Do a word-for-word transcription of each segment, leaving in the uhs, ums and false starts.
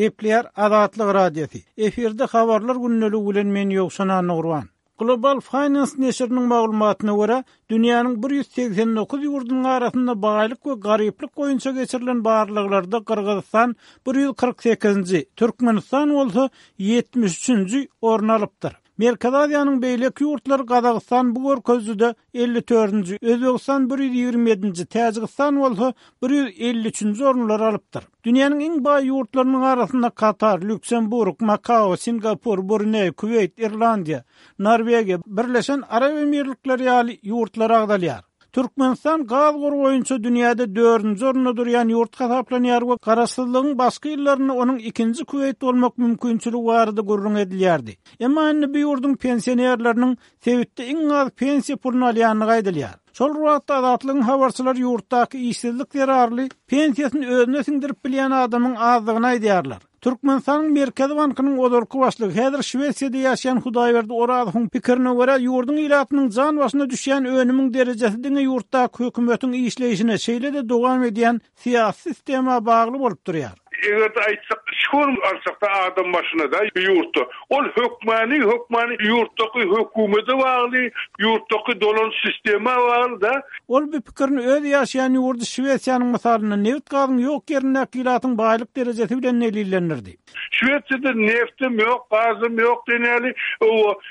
Gepleýär Azatlyk Radiosy. Efirde habarlar gündeligi bilen men Ýowşan Annagurban. Global Finance neşiriniň maglumatyna görä, dünýäniň bir ýüz segsen dokuz ýurdunyň arasynda baýlyk we garyplyk boýunça geçirilen barlaglarda Gyrgyzystan bir ýüz kyrk sekizinji, Türkmenistan bolsa ýetmiş üçünji orun alypdyr. Merkezi Aziýanyň beýleki ýurtlary Gazagystan bu görkezijide elli dördünji, Özbegistan bir ýüz ýigrimi ýedinji, Täjigistan bolsa bir ýüz elli üçünji orunlary alypdyr. Dünýäniň iň baý ýurtlarynyň arasynda Katar, Lýuksemburg, Makao, Singapur, Bruneý, Kuweýt, Irlandiýa, Norwegiýa, Birleşen Arap Emirlikleri ýaly ýurtlar agzalýar. Türkmenistan gaz gory boýunça dünýäde dördünji orunda durýan ýurt hasaplanýar we garaşsyzlygyň başky ýyllarynda onuň ikinji Kuweýt bolmak mümkinçiligi barada gürrüň edilýärdi. Emma indi bu ýurduň pensionerleriniň sebitde iň az pensiýa puluny alýandygy aýdylýar. Şol bir wagtda Azatlygyň habarçylary ýurtdaky işsizlik zerarly pensiýasyny özüne siňdirip bilýän adamyň azdygyny aýdýarlar. Türkmenistanyň Merkezi bankynyň ozalky başlygy, häzir Şwesiýada ýaşaýan Hudaýberdi Orazowyň pikirine görä, ýurduň ilatynyň jan başyna düşýän önümiň derejesi diňe ýurtdaky hökümetiň işleýşine, şeýle-de dowam edýän syýasy sistema bagly bolup durýar. Eger-de aýtsak, şol alsak-da adam başyna da ýurtda, ol hökmany, hökmany ýurtdaky hökümete bagly, ýurtdaky dolan sistema bagly da. Ol bu pikirini öz ýaşaýan ýurdy Şwesiýanyň mysalynda neft gazyň ýok ýerindäki ilatyň baýlyk derejesi bilen delillendirdi. Şwesiýada neftim ýok, gazym ýok diýeli, o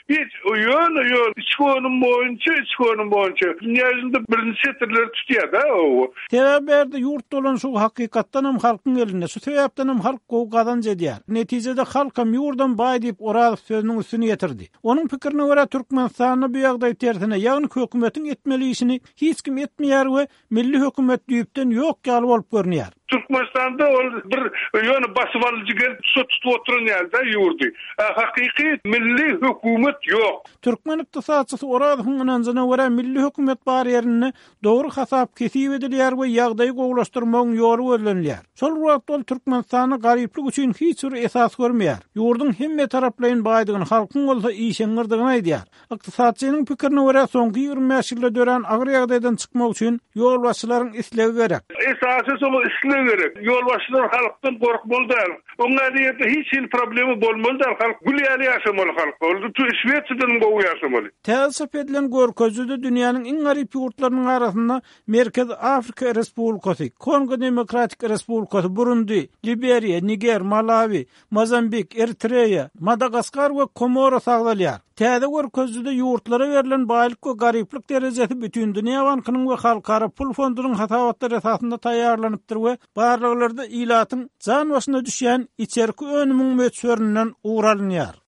hiç ýöne ýöne içki önüm boýunça, içki önüm boýunça dünýä ýüzünde birinji setirleri tutýar da o. Sebäbi bärde ýurt dolan şu hakykatdan hem halkyň elinde, şu sebäpden hem halk gowy gazanç edýär. Netijede halkam ýurdam baý diýip Orazow sözüniň üstüni ýetirdi. Onuň pikirine görä Türkmenistanda bu ýagdaý tersine, ýagny hökümetiň etmeli işini hiç kim etmeýär we milli hökümet düýpden ýok ýaly bolup görünýär. Türkmenistanda ol bir ýöne basyp alyjy gelip tutup oturan ýerde ýurdy. Hakyky milli hökümet ýok. Türkmen ykdysatçysy Orazowyň ynanjyna görä milli hökümet bar ýerinde dogry hasap kesip edilýär we ýagdaýy gowulaşdyrmagyň ýoly gözlenilýär. Şol wagtda ol Türkmenistanda garyplyk üçin hiç bir esas görmeýär. Ýurduň hemme taraplaýyn baýdygyny, halkyň bolsa işeňňirdigini aýdýar. Ykdysatçynyň pikirine görä soňky ýigrimi bäş ýylda dörän agyr ýagdaýdan çykmak üçin ýolbaşçylaryň islegi gerek. Esasy soň islegi gerek. Ýolbaşçylar halkdan gorkmaly däl. Oňa diýip hiç hil problemi bolmaly däl. Halk gül ýaly ýaşamaly halk. Ol Şwesiýadan gowy ýaşamaly. Täze çap edilen görkezijide dünýäniň iň garyp ýurtlarynyň arasynda Merkezi Afrika Respublikasy, Kongo Demokratik Respublikasy, Burundi, Liberiýa, Niger, Malawi, Mozambik, Eritreýa, Madagaskar we Komora sagdalýar. Täze görkezijide ýurtlara berlen baýlyk we garyplyk derejesi Bütindünýä Bankynyň we Halkara Pul Fondunyň hasabatlary esasynda taýýarlanypdyr we barlaglarda ilatyň jan başyna düşýän içerki önümiň möçberinden ugur alynýar.